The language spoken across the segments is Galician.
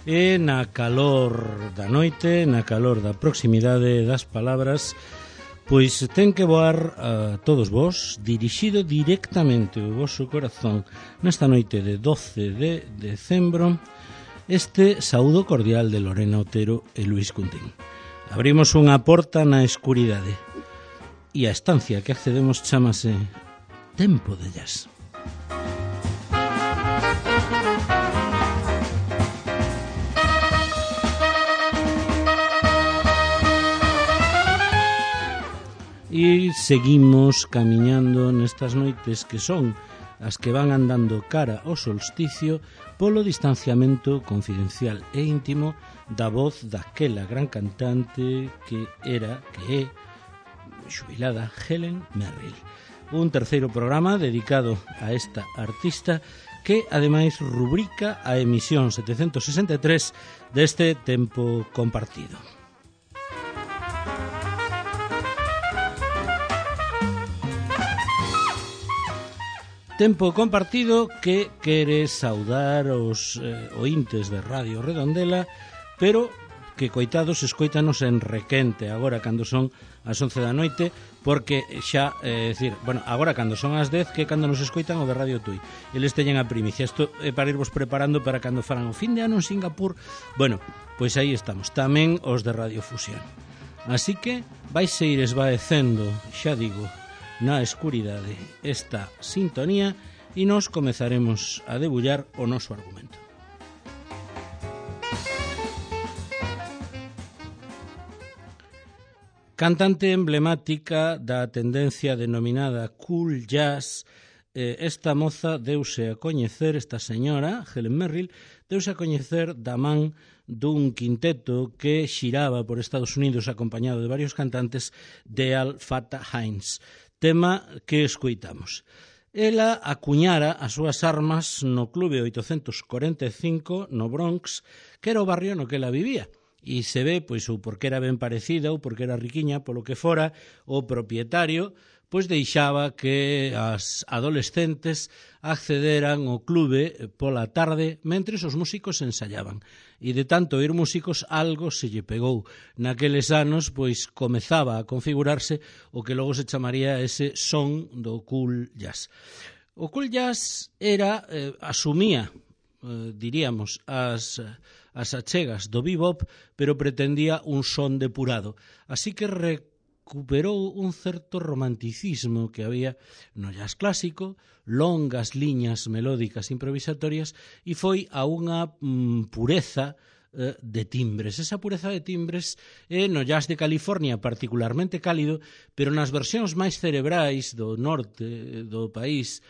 E na calor da noite, na calor da proximidade das palabras, pois ten que voar a todos vós, dirixido directamente ao vosso corazón nesta noite de 12 de decembro, este saúdo cordial de Lorena Otero e Luis Cuntín. Abrimos unha porta na escuridade e a estancia que accedemos chamase Tempo de Jazz. E seguimos camiñando nestas noites que son as que van andando cara ao solsticio polo distanciamento confidencial e íntimo da voz daquela gran cantante que é xubilada Helen Merrill. Un terceiro programa dedicado a esta artista que ademais rubrica a emisión 763 deste tempo compartido. Tempo compartido que quere saudar os ointes de Radio Redondela, pero que coitados escoítanos en requente agora cando son as 11 da noite, porque xa, agora cando son as 10, que cando nos escoitan o de Radio Tui. Eles teñen a primicia. Isto é para irvos preparando para cando faran o fin de ano en Singapur. Bueno, pois aí estamos. Tamén os de Radio Fusión. Así que vaise ir esvaecendo, xa digo, na escuridade esta sintonía e nos comezaremos a debullar o noso argumento. Cantante emblemática da tendencia denominada cool jazz, esta moza deuse a coñecer, esta señora, Helen Merrill, deuse a coñecer da man dun quinteto que xiraba por Estados Unidos acompañado de varios cantantes de Al Fatah Hines. Tema que escoitamos. Ela acuñara as súas armas no Clube 845 no Bronx, que era o barrio no que ela vivía. E se ve, pois, ou porque era ben parecida ou porque era riquiña, polo que fora, o propietario pois deixaba que as adolescentes accederan ao clube pola tarde mentres os músicos ensayaban. E de tanto oír músicos, algo se lle pegou. Naqueles anos, pois, comezaba a configurarse o que logo se chamaría ese son do cool jazz. O cool jazz era, asumía, diríamos, as achegas do bebop, pero pretendía un son depurado. Así que recuperou un certo romanticismo que había no jazz clásico, longas liñas melódicas improvisatorias, e foi a unha pureza de timbres. Esa pureza de timbres é no jazz de California particularmente cálido, pero nas versións máis cerebrais do norte do país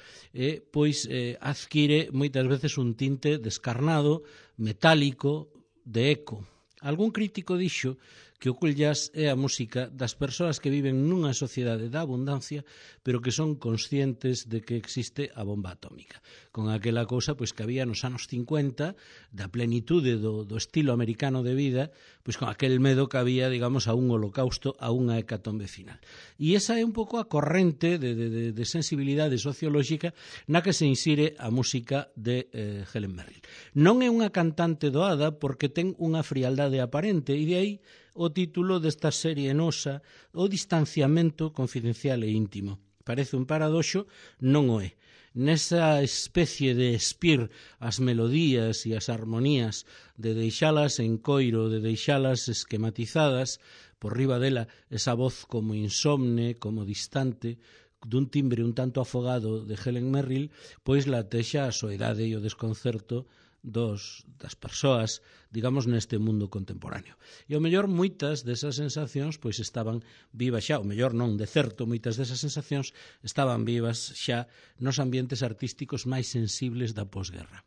pois adquire moitas veces un tinte descarnado, metálico, de eco. Algún crítico dixo que o cool jazz é a música das persoas que viven nunha sociedade da abundancia, pero que son conscientes de que existe a bomba atómica. Con aquela cousa pois que había nos anos 50, da plenitude do estilo americano de vida, pois con aquel medo que había, digamos, a un holocausto, a unha hecatombe final. E esa é un pouco a corrente de sensibilidade sociolóxica na que se insire a música de Helen Merrill. Non é unha cantante doada porque ten unha frialdade aparente, e de aí o título desta serie nosa, o distanciamento confidencial e íntimo. Parece un paradoxo, non o é. Nesa especie de espir as melodías e as armonías, de deixalas en coiro, de deixalas esquematizadas, por riba dela esa voz como insomne, como distante, dun timbre un tanto afogado de Helen Merrill, pois latexa a soidade e o desconcerto das persoas, digamos, neste mundo contemporáneo. E ao mellor moitas desas sensacións pois estaban vivas xa, o mellor non, de certo, moitas desas sensacións estaban vivas xa nos ambientes artísticos máis sensibles da posguerra.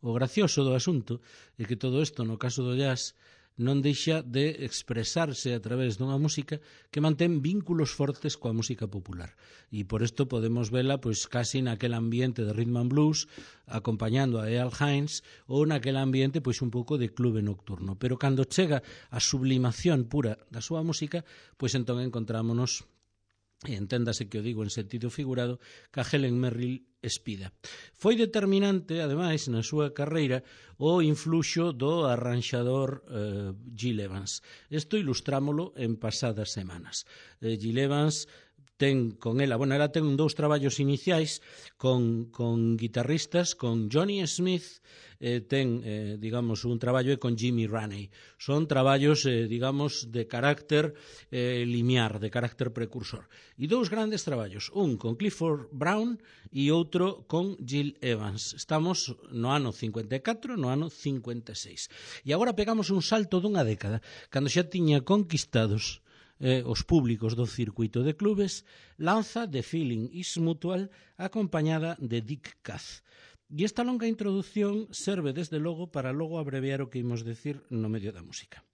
O gracioso do asunto é que todo isto, no caso do jazz, non deixa de expresarse a través dunha música que mantén vínculos fortes coa música popular. E por isto podemos vela pois casi naquel ambiente de rhythm and blues, acompañando a Al Hines, ou naquel ambiente pois un pouco de clube nocturno. Pero cando chega a sublimación pura da súa música, pois entón encontrámonos e enténdase que o digo en sentido figurado, que a Helen Merrill espida. Foi determinante, ademais, na súa carreira o influxo do arranxador Gil Evans. Isto ilustrámolo en pasadas semanas. Gil Evans ten con ela, ela ten dous traballos iniciais con guitarristas, con Johnny Smith, ten, digamos, un traballo con Jimmy Raney. Son traballos, digamos, de carácter limiar, de carácter precursor. E dous grandes traballos, un con Clifford Brown e outro con Gil Evans. Estamos no ano 54, no ano 56. E agora pegamos un salto dunha década, cando xa tiña conquistados os públicos do circuito de clubes, lanza The Feeling is Mutual acompañada de Dick Cath. E esta longa introdución serve desde logo para logo abreviar o que imos decir no medio da música.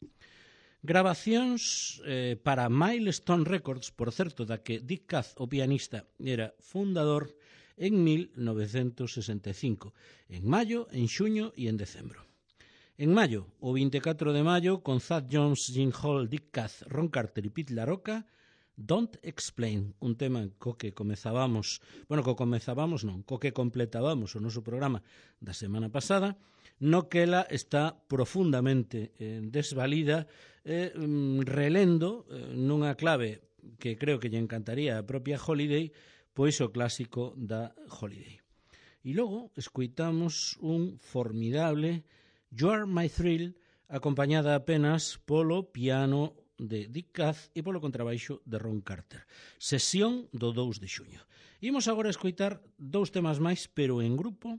Grabacións para Milestone Records, por certo, da que Dick Cath, o pianista, era fundador en 1965, en maio, en xuño e en decembro. En maio, o 24 de maio, con Thad Jones, Gene Hall, Dick Cath, Ron Carter e Pete LaRocca, Don't Explain, un tema co que completábamos o noso programa da semana pasada, no que ela está profundamente desvalida, relendo nunha clave que creo que lle encantaría a propia Holiday, pois o clásico da Holiday. E logo escoitamos un formidable You Are My Thrill, acompañada apenas polo piano de Dick Cath e polo contrabaixo de Ron Carter. Sesión do 2 de xuño. Imos agora escoitar dous temas máis, pero en grupo,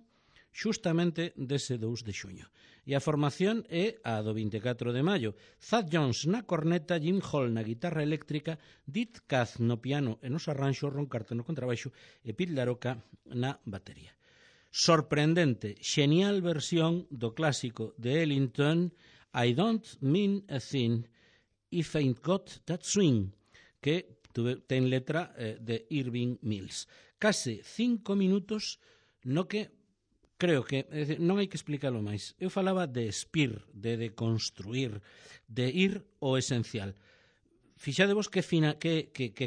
xustamente dese 2 de xuño. E a formación é a do 24 de maio. Thad Jones na corneta, Jim Hall na guitarra eléctrica, Dick Cath no piano e nos arranxos, Ron Carter no contrabaixo e Pete LaRocca na batería. Sorprendente, xenial versión do clásico de Ellington, I Don't Mean a Thing If Ain't Got That Swing, que ten letra de Irving Mills. Case 5 minutos no que creo que non hai que explicarlo máis. Eu falaba de espir, de construir, de ir ao esencial. Fixadevos que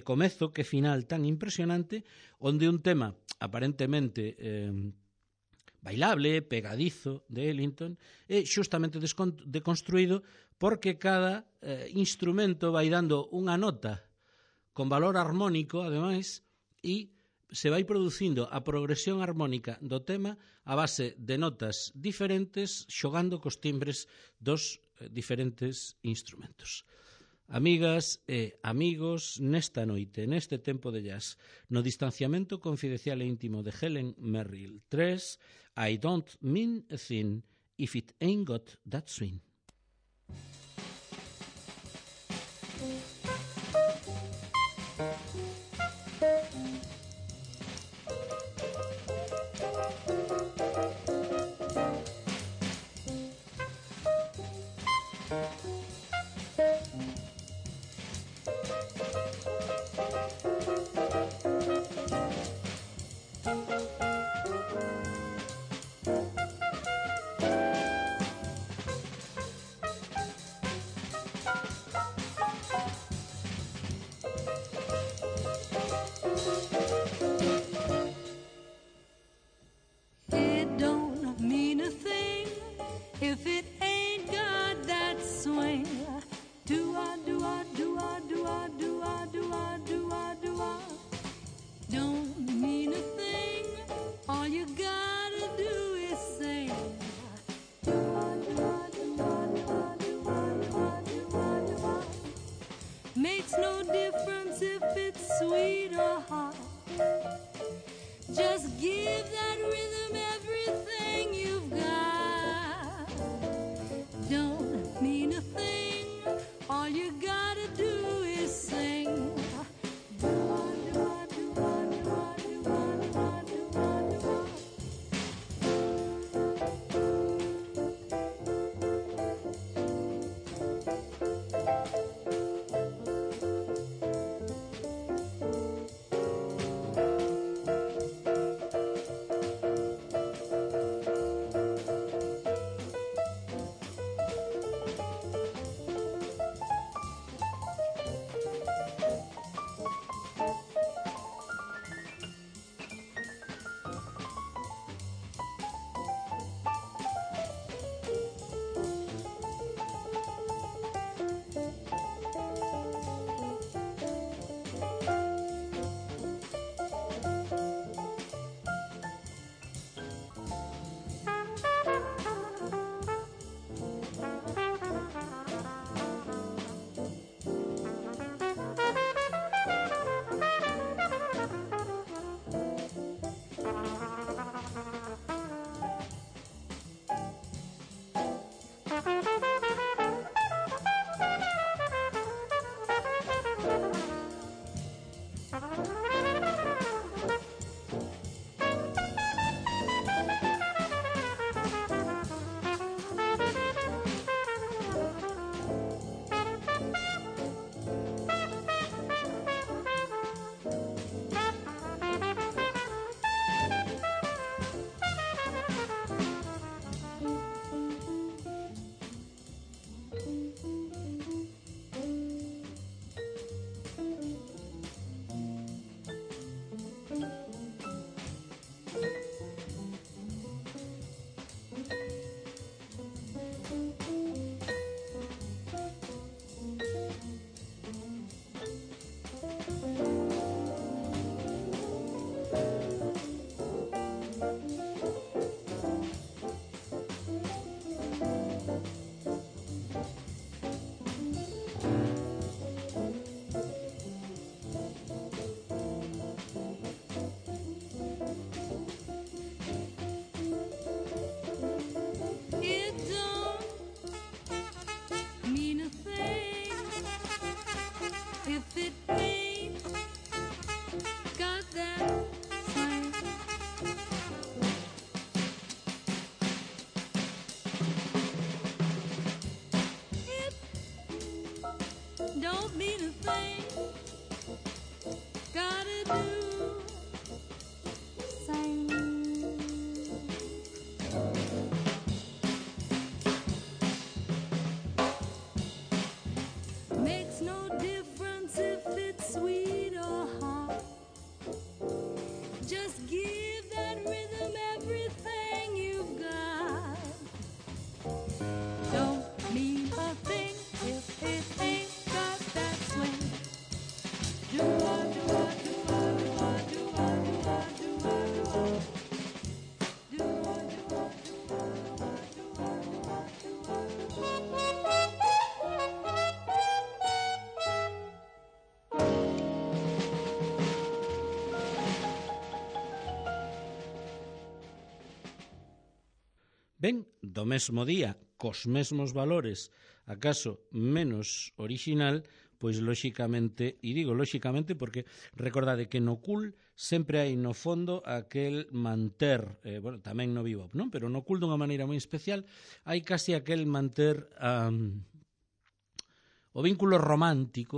comezo, que final tan impresionante, onde un tema aparentemente bailable, pegadizo de Ellington, é xustamente deconstruído porque cada instrumento vai dando unha nota con valor armónico, ademais, e se vai producindo a progresión armónica do tema a base de notas diferentes xogando cos timbres dos diferentes instrumentos. Amigas e amigos, nesta noite, neste tempo de jazz, no distanciamento confidencial e íntimo de Helen Merrill 3, I Don't Mean a Thing If It Ain't Got That Swing. Makes no difference if it's sweet or hot. Just give that rhythm everything you've got. Don't mean a thing. All you gotta do is sing. It don't mean a thing if it ain't got that swing. It don't mean a thing. Gotta do sing. Makes no difference if it's sweet or hot. Just give that rhythm everything you've got. Don't mean a thing if it ain't got that swing. Do-ah, do-ah, do-ah, do-ah, do-ah, do-ah, do-ah, do-ah. Do-ah, do-ah, do-ah, do-ah, do-ah, Ben, do mesmo día, cos mesmos valores, acaso menos orixinal, pois lóxicamente, e digo lóxicamente porque recordade que no cool sempre hai no fondo aquel manter, bueno, tamén no bebop, non? Pero no cool dunha maneira moi especial hai casi aquel manter o vínculo romántico,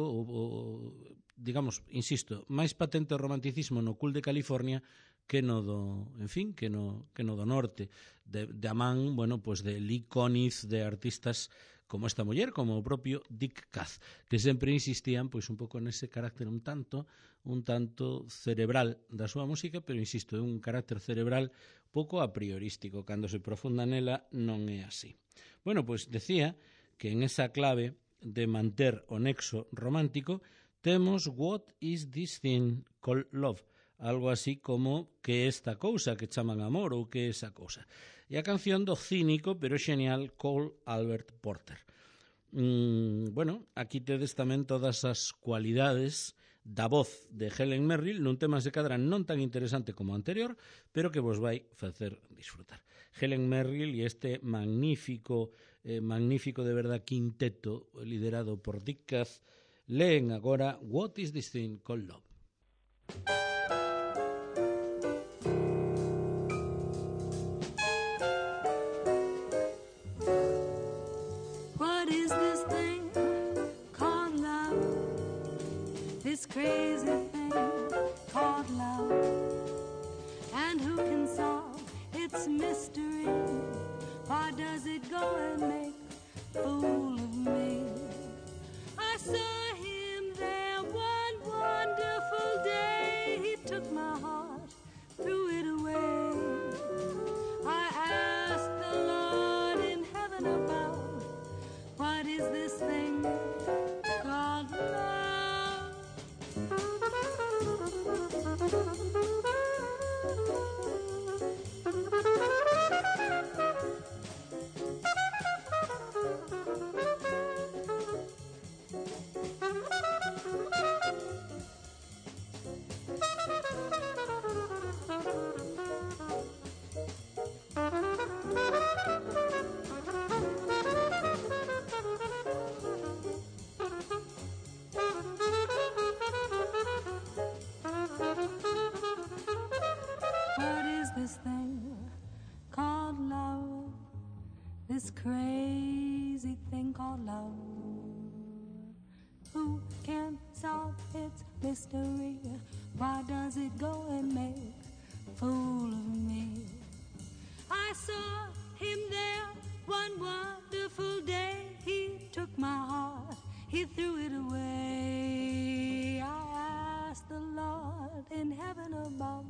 digamos, insisto, máis patente o romanticismo no cool de California que no do, en fin, que no do norte, de amán, bueno, pues de Lee Konitz, de artistas como esta muller, como o propio Dick Kath, que sempre insistían pois un pouco nese carácter un tanto cerebral da súa música, pero insisto, é un carácter cerebral pouco a priorístico, cando se profunda nela non é así. Bueno, pois decía que en esa clave de manter o nexo romántico temos What is this thing called love? Algo así como que esta cousa que chaman amor ou que esa cousa. E a canción do cínico pero xenial Cole Albert Porter. Bueno, aquí tedes tamén todas as cualidades da voz de Helen Merrill nun tema se cadra non tan interesante como o anterior, pero que vos vai facer disfrutar. Helen Merrill e este magnífico de verdad quinteto liderado por Dick Kath leen agora What is this thing called love? This crazy thing called love, and who can solve its mystery? Why does it go and make a fool of me? I saw him there one wonderful day. He took my heart, threw it away. I asked the Lord in heaven above, what is this thing called love? crazy thing called love. Who can solve its mystery? Why does it go and make a fool of me? I saw him there one wonderful day. He took my heart, he threw it away. I asked the Lord in heaven above,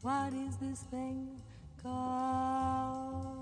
what is this thing called?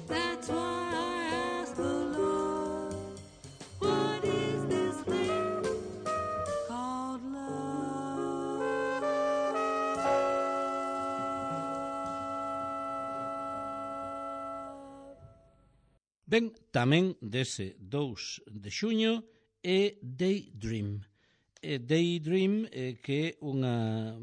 That's why I asked the Lord, what is this thing called love? Ben, tamén dese 2 de xuño é Daydream. Daydream que unha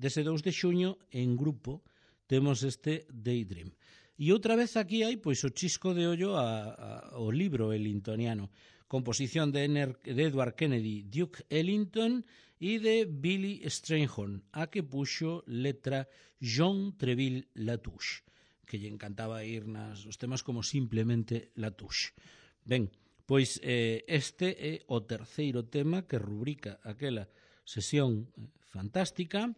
dese 2 de xuño en grupo temos este Daydream. E outra vez aquí hai pois o chisco de ollo ao libro ellingtoniano, composición de Edward Kennedy, Duke Ellington e de Billy Strayhorn, a que puxo letra John Treville Latouche, que lle encantaba ir os temas como simplemente Latouche. Ben, pois este é o terceiro tema que rubrica aquela sesión fantástica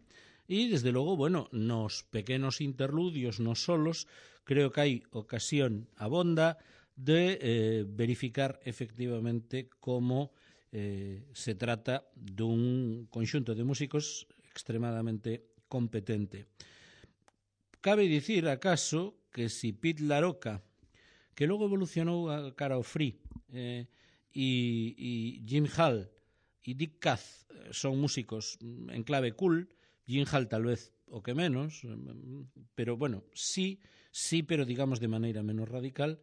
e, desde logo, bueno, nos pequenos interludios, nos solos, creo que hai ocasión abonda de verificar efectivamente como se trata dun conxunto de músicos extremadamente competente. Cabe dicir, acaso, que si Pete LaRocca, que logo evolucionou a cara ao free, e Jim Hall e Dick Cath son músicos en clave cool, Jim Hall tal vez o que menos, pero bueno, sí, pero digamos de maneira menos radical.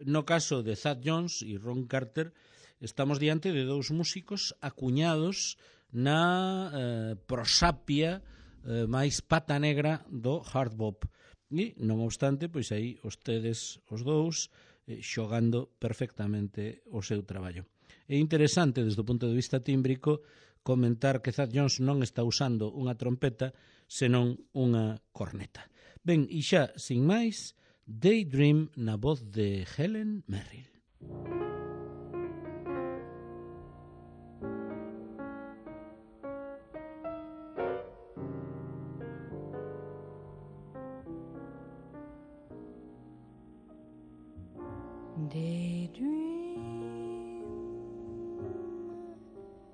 No caso de Thad Jones e Ron Carter, estamos diante de 2 músicos acuñados na prosapia máis pata negra do hard bop. E, non obstante, pois aí tedes os 2 xogando perfectamente o seu traballo. É interesante, desde o punto de vista tímbrico, comentar que Thad Jones non está usando unha trompeta, senón unha corneta. Ben, e xa, sin máis, Daydream na voz de Helen Merrill. Daydream,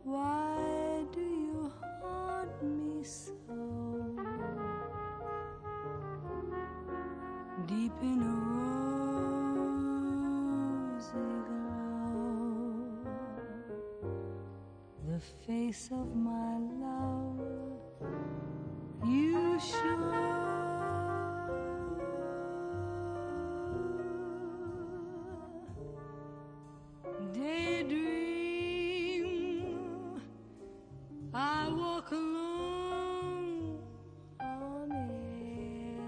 why do you haunt me so? Deep in a rosy glow, the face of my love you show. Daydream, I walk alone on air,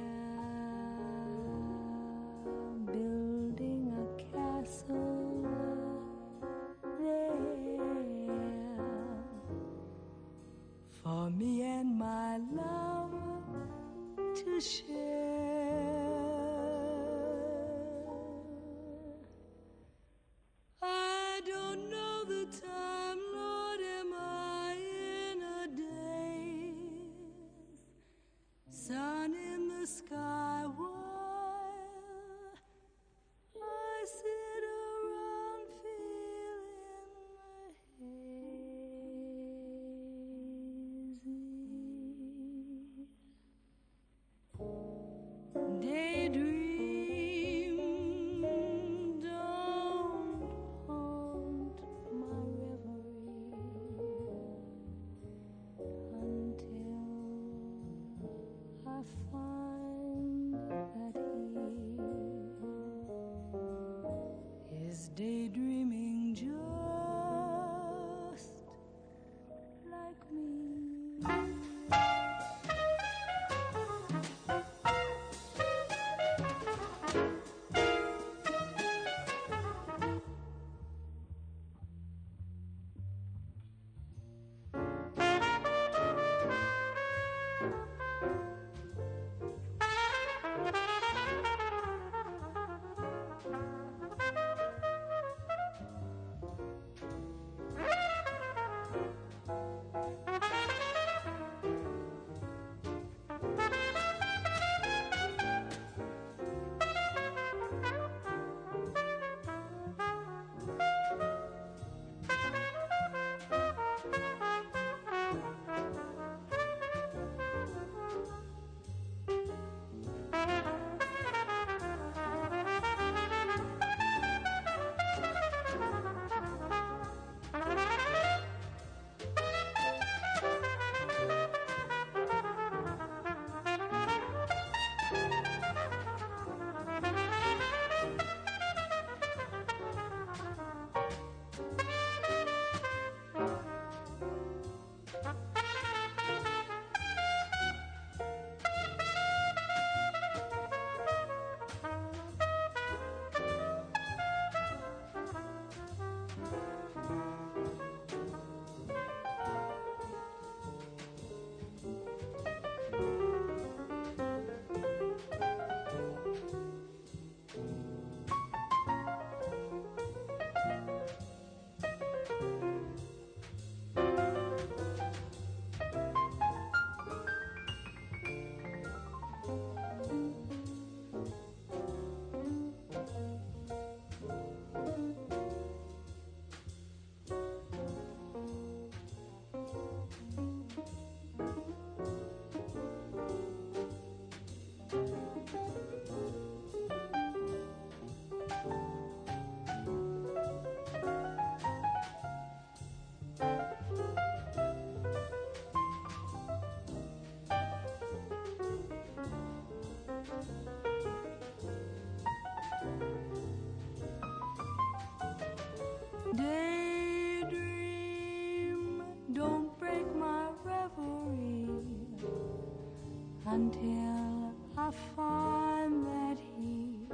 until I find that he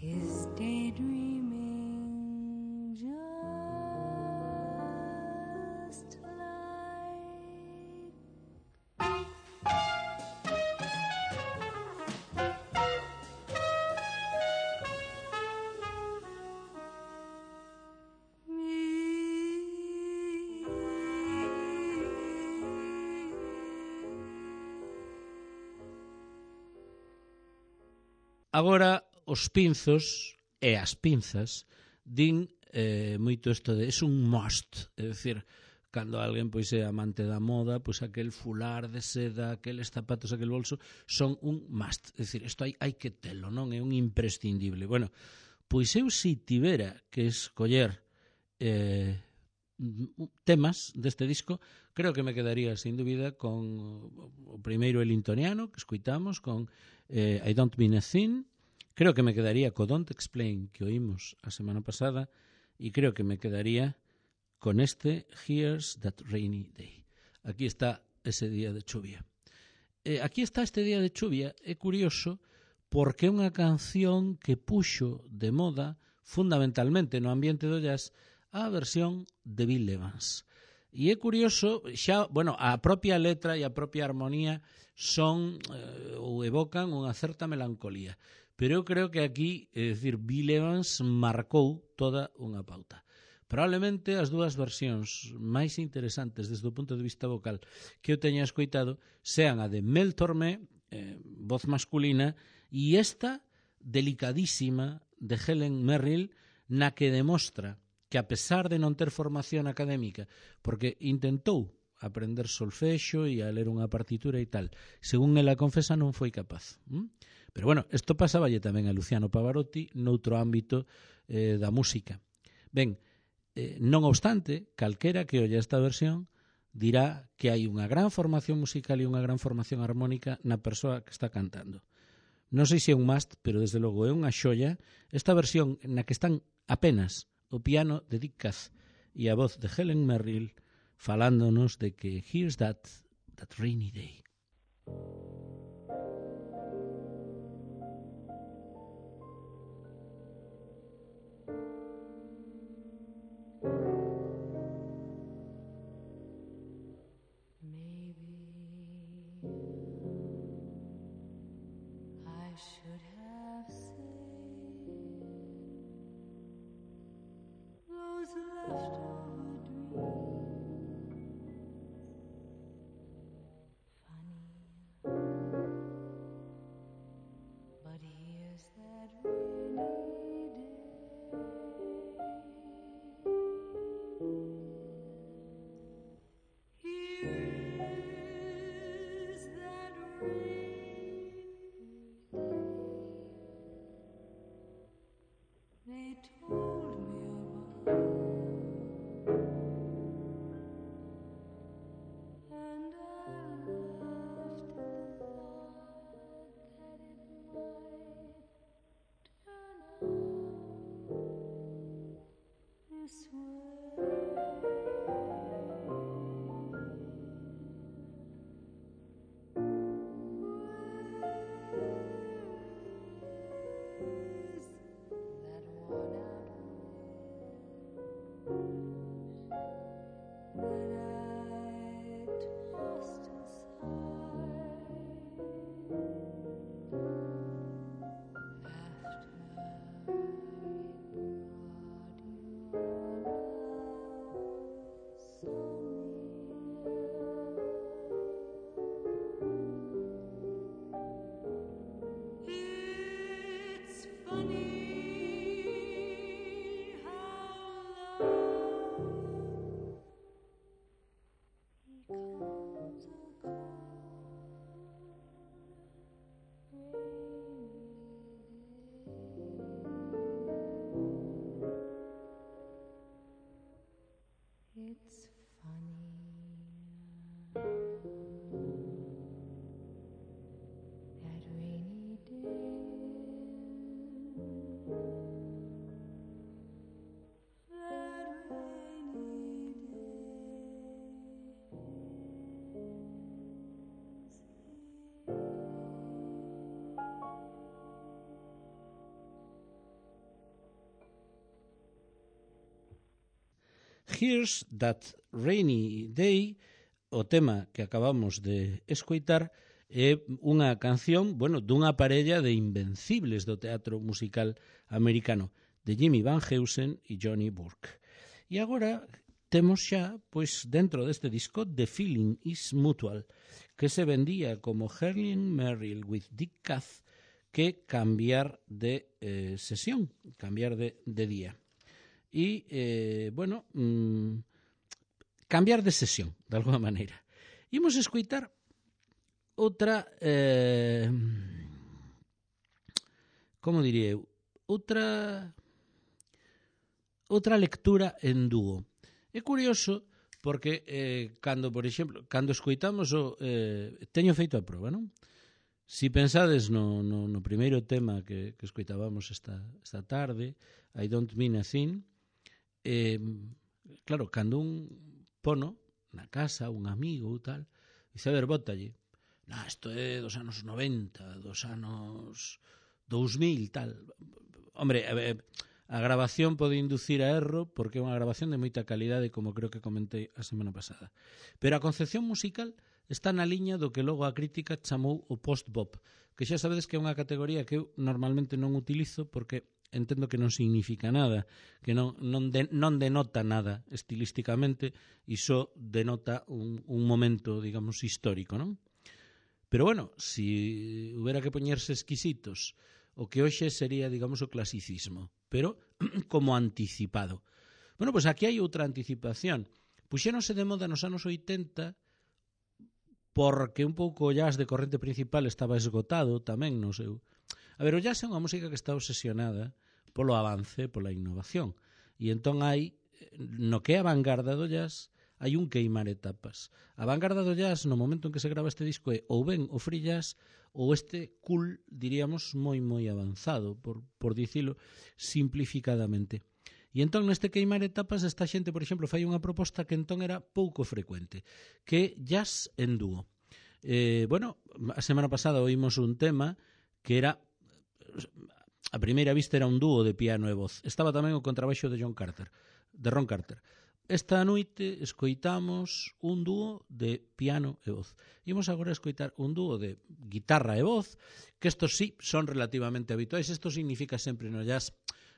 is daydreaming just like Agora, os pinzos e as pinzas din moito isto de es un must, é dicir, cando alguén pois é amante da moda, pois aquel fular de seda, aqueles zapatos, aquel bolso, son un must, é dicir, isto hai que telo, non é un imprescindible. Bueno, pois eu si tivera que escoller temas deste disco, creo que me quedaría sin dúbida con o primeiro elintoniano que escuitamos, con I Don't Mean a Thing. Creo que me quedaría co Don't Explain que oímos a semana pasada e creo que me quedaría con este Here's That Rainy Day. Aquí está ese día de chuvia. Aquí está este día de chuvia. É curioso porque é unha canción que puxo de moda fundamentalmente no ambiente do jazz a versión de Bill Evans. E é curioso, xa, bueno, a propia letra e a propia armonía son ou evocan unha certa melancolía. Pero eu creo que aquí, é dicir, Bill Evans marcou toda unha pauta. Probablemente as dúas versións máis interesantes desde o punto de vista vocal que eu teña escoitado sean a de Mel Tormé, voz masculina, e esta delicadísima de Helen Merrill, na que demostra que a pesar de non ter formación académica, porque intentou aprender solfexo e a ler unha partitura e tal, según ela confesa non foi capaz. Pero bueno, isto pasaballe tamén a Luciano Pavarotti noutro ámbito da música. Ben, non obstante, calquera que olle esta versión dirá que hai unha gran formación musical e unha gran formación armónica na persoa que está cantando. Non sei se é un must, pero desde logo é unha xoia esta versión na que están apenas o piano de Dick Cass e a voz de Helen Merrill falándonos de que here's that rainy day. Here's That Rainy Day, o tema que acabamos de escoitar, é unha canción, bueno, dunha parella de invencibles do teatro musical americano, de Jimmy Van Heusen e Johnny Burke. E agora temos xa, pois, dentro deste disco, The Feeling is Mutual, que se vendía como Helen Merrill with Dick Cath, que cambiar de sesión, cambiar de día. E, bueno, cambiar de sesión, de alguma maneira. Imos escoitar outra, como diría eu, outra lectura en dúo. É curioso porque cando, por exemplo, cando escoitamos o teño feito a proba, non? Si pensades no primeiro tema que escoitábamos esta tarde, I Don't Mean a Thing, claro, cando un pono na casa, un amigo ou tal, dice, a ver, bótalle, isto é dos anos 90, dos anos 2000, tal. Hombre, a grabación pode inducir a erro porque é unha grabación de moita calidade, como creo que comentei a semana pasada. Pero a concepción musical está na liña do que logo a crítica chamou o post-bop, que xa sabedes que é unha categoría que eu normalmente non utilizo porque entendo que non significa nada, que non denota nada estilísticamente e só denota un momento, digamos, histórico, non? Pero bueno, si hubiera que poñerse exquisitos, o que hoxe sería, digamos, o clasicismo, pero como anticipado. Bueno, pois aquí hai outra anticipación. Puxéronse de moda nos anos 80 porque un pouco o jazz de corrente principal estaba esgotado tamén no seu. A ver, o jazz é unha música que está obsesionada polo avance, pola innovación. E entón hai, no que é a vanguarda do jazz, hai un queimar etapas. A vanguarda do jazz, no momento en que se grava este disco, é ou ben o free jazz ou este cool, diríamos, moi avanzado, por dicilo simplificadamente. E entón neste queimar etapas esta xente, por exemplo, fai unha proposta que entón era pouco frecuente, que é jazz en dúo. Bueno, a semana pasada oímos un tema que era, a primeira vista era un dúo de piano e voz. Estaba tamén o contrabaixo de Ron Carter. Esta noite escoitamos un dúo de piano e voz. Imos agora escoitar un dúo de guitarra e voz, que estos sí son relativamente habituais. Isto significa sempre no jazz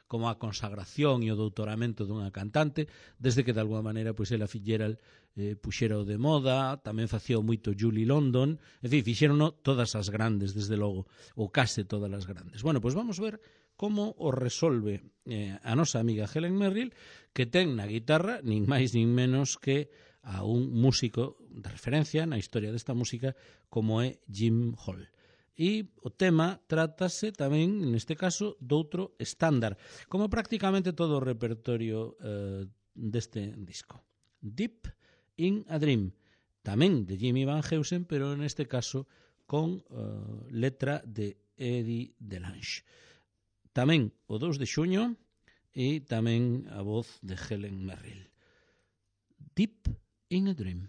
como a consagración e o doutoramento dunha cantante, desde que de alguma maneira pois ela Fitzgerald puxera o de moda, tamén facía moito Julie London, en fin, fixerono todas as grandes, desde logo, ou case todas as grandes. Bueno, pois vamos ver como o resolve a nosa amiga Helen Merrill, que ten na guitarra nin máis nin menos que a un músico de referencia na historia desta música como é Jim Hall. E o tema trátase tamén, neste caso, doutro estándar, como prácticamente todo o repertorio deste disco. Deep in a Dream, tamén de Jimmy Van Heusen, pero neste caso con letra de Eddie Delange. Tamén o 2 de xuño e tamén a voz de Helen Merrill. Deep in a Dream.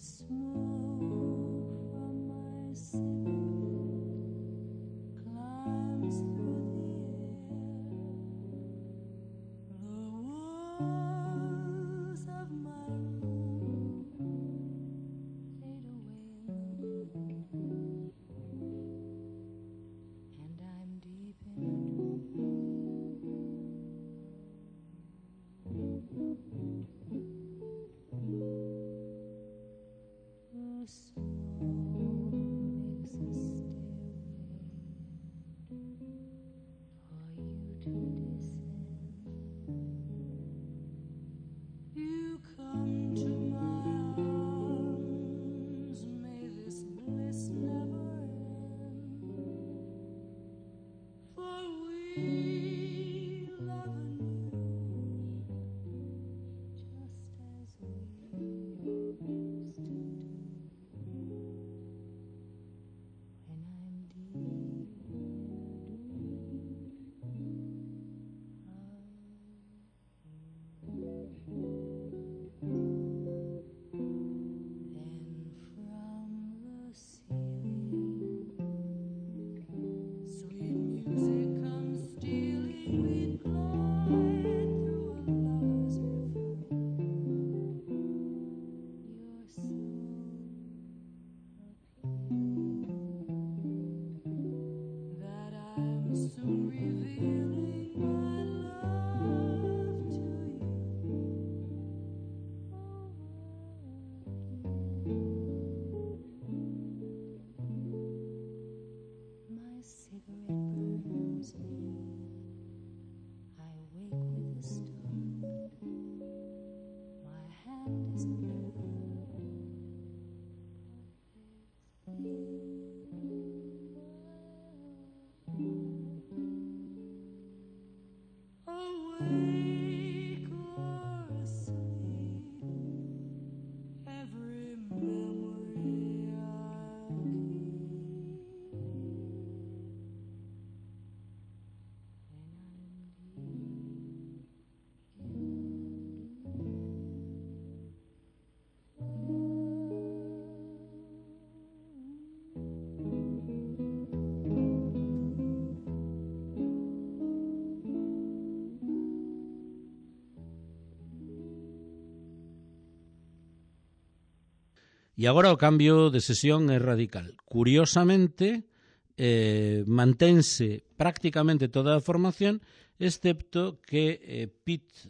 Smooth E agora o cambio de sesión é radical. Curiosamente, mantense prácticamente toda a formación, excepto que Pete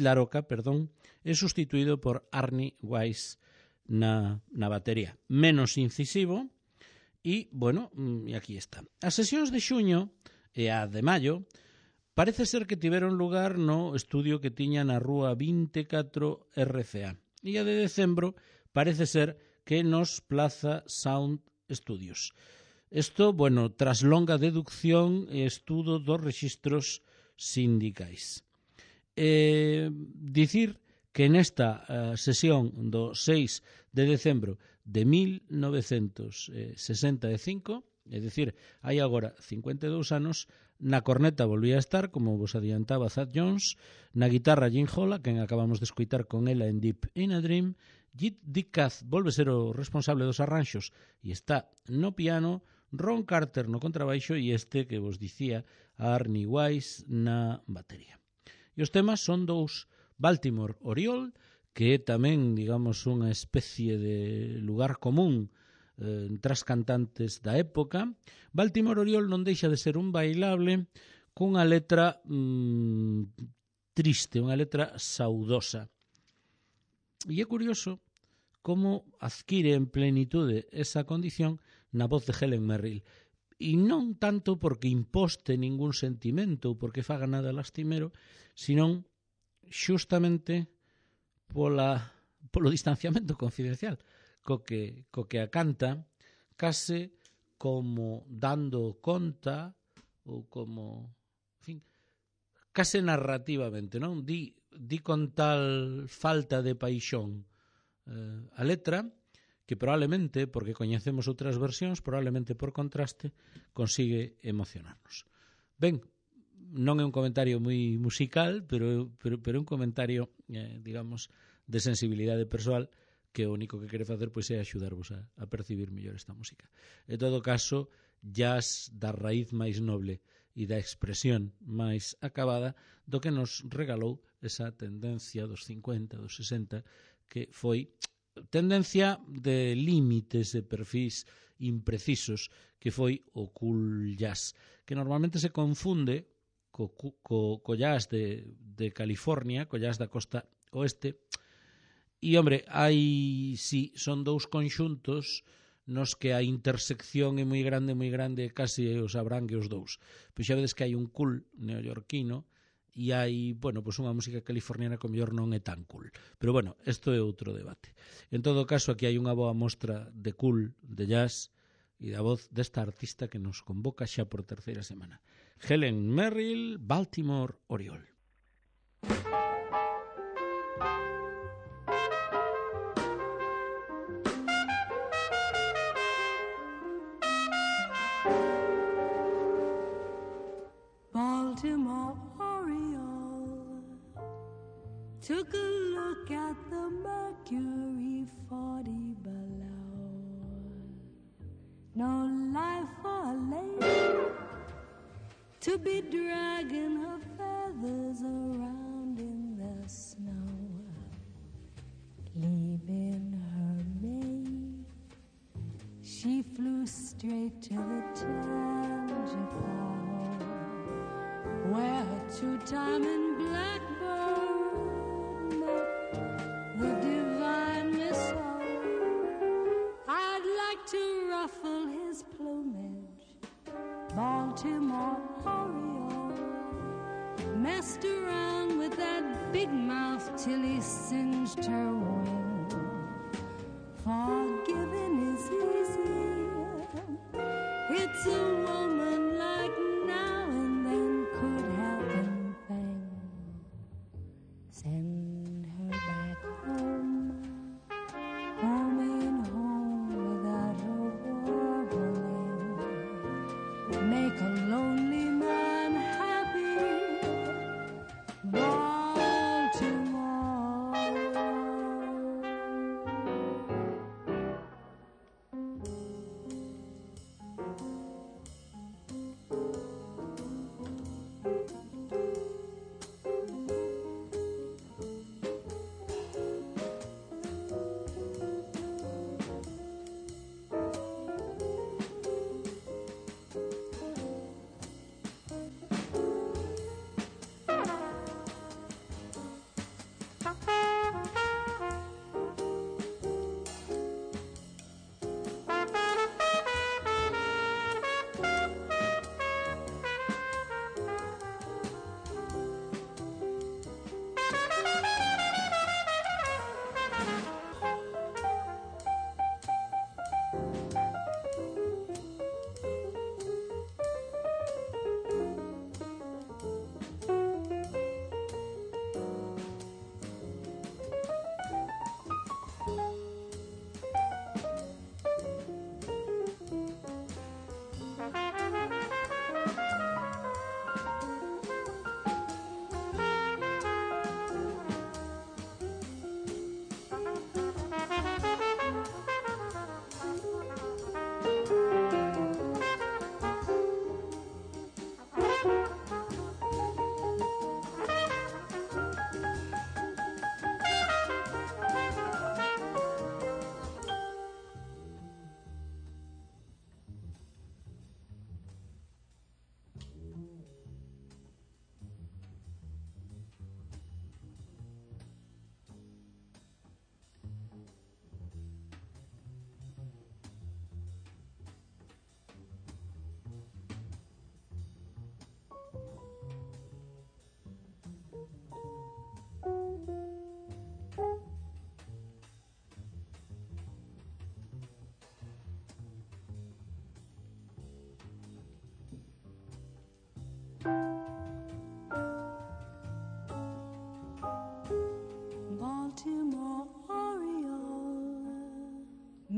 Laroca, é sustituído por Arnie Weiss na batería. Menos incisivo e, bueno, e aquí está. As sesións de xuño e a de maio parece ser que tiveron lugar no estudio que tiña na rúa 24 RCA. E a de decembro parece ser que nos Plaza Sound Studios. Isto, bueno, tras longa deducción e estudo dos rexistros sindicais. Dicir que nesta sesión do 6 de decembro de 1965, é dicir, hai agora 52 anos, na corneta volvía a estar, como vos adiantaba Thad Jones, na guitarra Jim Holla, quen acabamos de escoitar con ela en Deep in a Dream. Dick Kath volve ser o responsable dos arranxos e está no piano, Ron Carter no contrabaixo e este que vos dicía, Arnie Weiss na batería. E os temas son dous: Baltimore Oriole, que é tamén, digamos, unha especie de lugar común entre as cantantes da época. Baltimore Oriole non deixa de ser un bailable cunha letra triste, unha letra saudosa. E é curioso como adquire en plenitude esa condición na voz de Helen Merrill. E non tanto porque imposte ningún sentimento ou porque faga nada lastimero, senón xustamente polo distanciamento confidencial co que a canta, case como dando conta ou como, en fin, case narrativamente, non? Di con tal falta de paixón a letra que probablemente, porque coñecemos outras versións, probablemente por contraste, consigue emocionarnos. Ben, non é un comentario moi musical, pero é un comentario, digamos, de sensibilidade persoal, que o único que quere facer pois é axudarvos a percibir mellor esta música. En todo caso, jazz da raíz máis noble e da expresión máis acabada do que nos regalou esa tendencia dos 50, dos 60, que foi tendencia de límites de perfis imprecisos, que foi o cool jazz, que normalmente se confunde co jazz de California, co jazz da costa oeste. E, hombre, son dous conxuntos nos que a intersección é moi grande, casi os abrangue os dous. Pois xa vedes que hai un cool neoyorquino e hai, bueno, pois unha música californiana que o mellor non é tan cool. Pero, bueno, isto é outro debate. En todo caso, aquí hai unha boa mostra de cool, de jazz e da voz desta artista que nos convoca xa por terceira semana. Helen Merrill, Baltimore Oriole. Baltimore Oriole took a look at the mercury 40 below. No life for a lady to be dragging her feathers around in the snow, leaving her mate. She flew straight to the Tangipahoa, where a two-timing blackbird met the divine Miss O. I'd like to ruffle his plumage, Baltimore Oriole. Messed around with that big mouth till he singed her wing. Forgiving is easy, it's a woman like now and then could help anything. Send her back home, home ain't home without her warbling. Make a lonely man happy, Baltimore.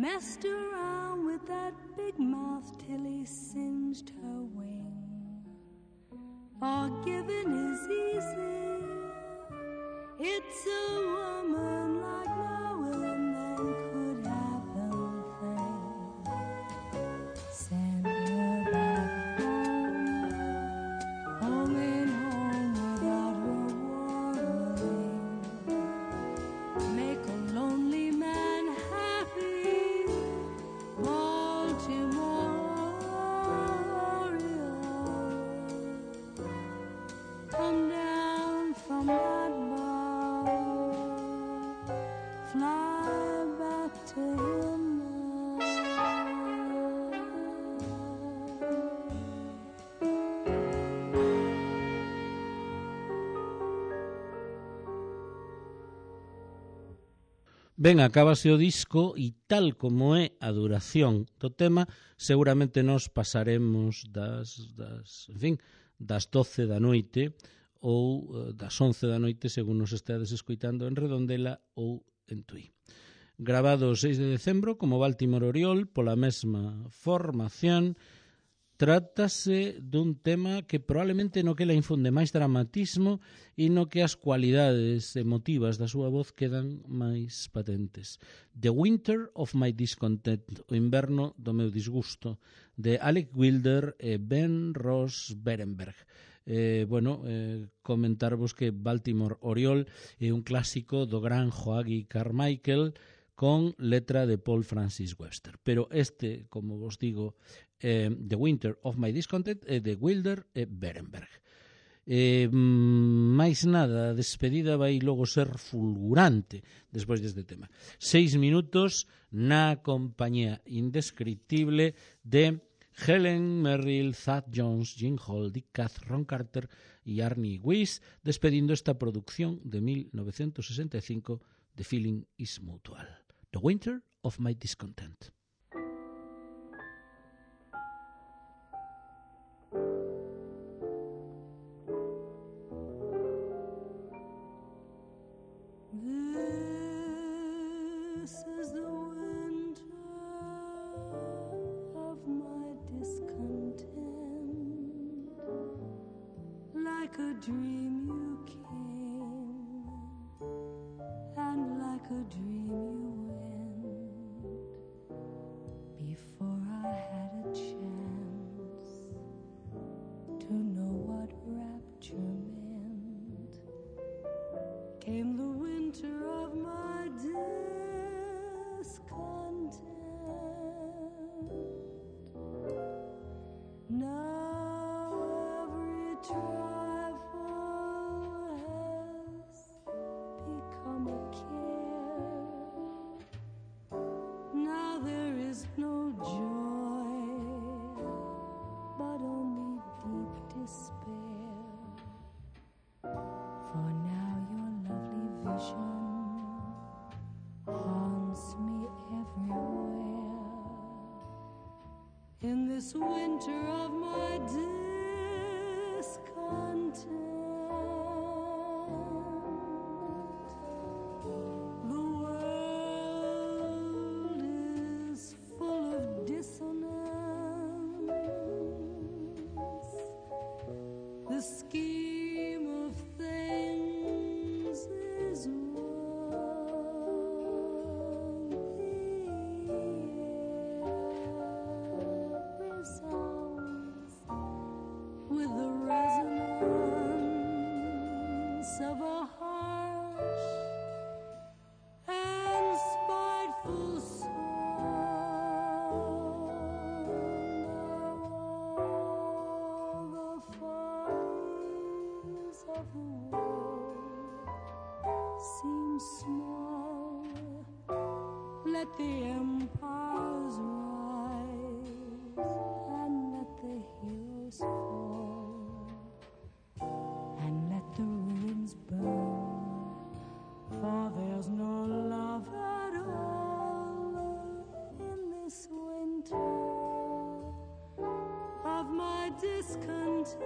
messed around with that big mouth till he singed her wing. Forgiving is easy, it's a woman like no woman could have the thing. Send her back home, homing home without rewarding. Make a lonely man happy, Baltimore Oriole. Come down from that bough, fly back to him now. Ben, acábase o disco e tal como é a duración do tema, seguramente nos pasaremos das 12 da noite ou das 11 da noite, según nos estedes escoitando en Redondela ou en Tui. Grabado o 6 de decembro como Baltimore Oriole pola mesma formación, trátase dun tema que probablemente no que la infunde máis dramatismo e no que as cualidades emotivas da súa voz quedan máis patentes. The Winter of My Discontent, o inverno do meu disgusto, de Alec Wilder e Ben Ross Berenberg. Comentarvos que Baltimore Oriole é un clásico do gran Joachim Carmichael con letra de Paul Francis Webster. Pero este, como vos digo, The Winter of My Discontent é de Wilder e Berenberg. Máis nada, a despedida vai logo ser fulgurante despois deste tema. 6 minutos na compañía indescriptible de Helen Merrill, Thad Jones, Gene Hall, Dick Cath, Ron Carter e Arnie Weiss, despedindo esta producción de 1965 The Feeling is Mutual. The Winter of My Discontent. This is the winter of my discontent, like a dream you came, and like a dream you went, before I had a chance to know what rapture meant. Came the winter of my discontent. Now every trifle has become a care. Now there is no joy, but only deep despair. For now your lovely vision haunts me everywhere. In this winter of my discontent, the world is full of dissonance. The scheme of things is wrong. The air resounds with the resonance of a harsh and spiteful song. All the fires of the world seem small. Let the empires rise and let the heroes fall, and let the ruins burn, for there's no love at all in this winter of my discontent.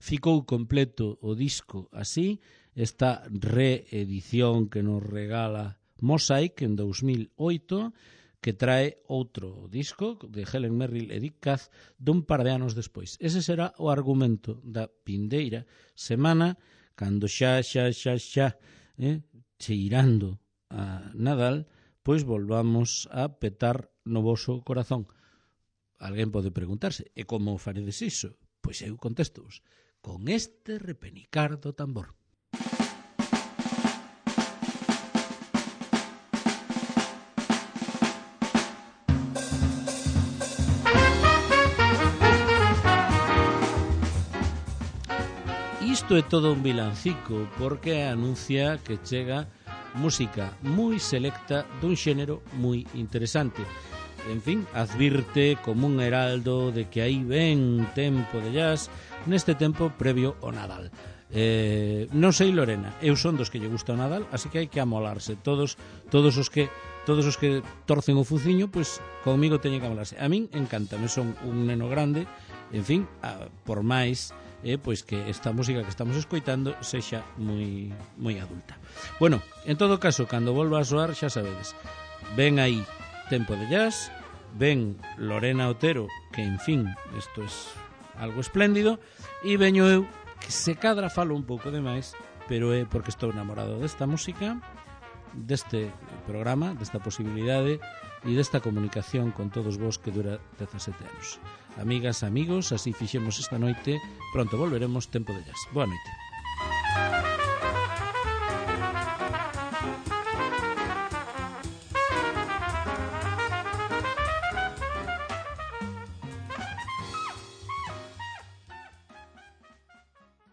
Ficou completo o disco así, esta reedición que nos regala Mosaic en 2008, que trae outro disco de Helen Merrill e Dick Kath dun par de anos despois. Ese será o argumento da vindeira semana, cando xa cheirando a Nadal, pois volvamos a petar no voso corazón. Alguén pode preguntarse, e como faredes iso? Pois eu contesto-vos, con este repenicar do tambor. Isto é todo un vilancico porque anuncia que chega música moi selecta dun xénero moi interesante. En fin, advirte como un heraldo de que aí ven tempo de jazz neste tempo previo ao Nadal. Non sei, Lorena, eu son dos que lle gusta o Nadal, así que hai que amolarse. Todos os que torcen o fuciño, pois comigo teñen que amolarse. A min encántame, son un neno grande, en fin, por máis pois que esta música que estamos escoitando sexa moi adulta. Bueno, en todo caso, cando volva a soar, xa sabedes, ven aí tempo de jazz, ven Lorena Otero, que en fin, isto é algo espléndido, e veño eu, que se cadra falo un pouco demais, pero é porque estou enamorado desta música, deste programa, desta posibilidade e desta comunicación con todos vos que dura 17 anos. Amigas, amigos, así fixemos esta noite, pronto volveremos, tempo de jazz. Boa noite.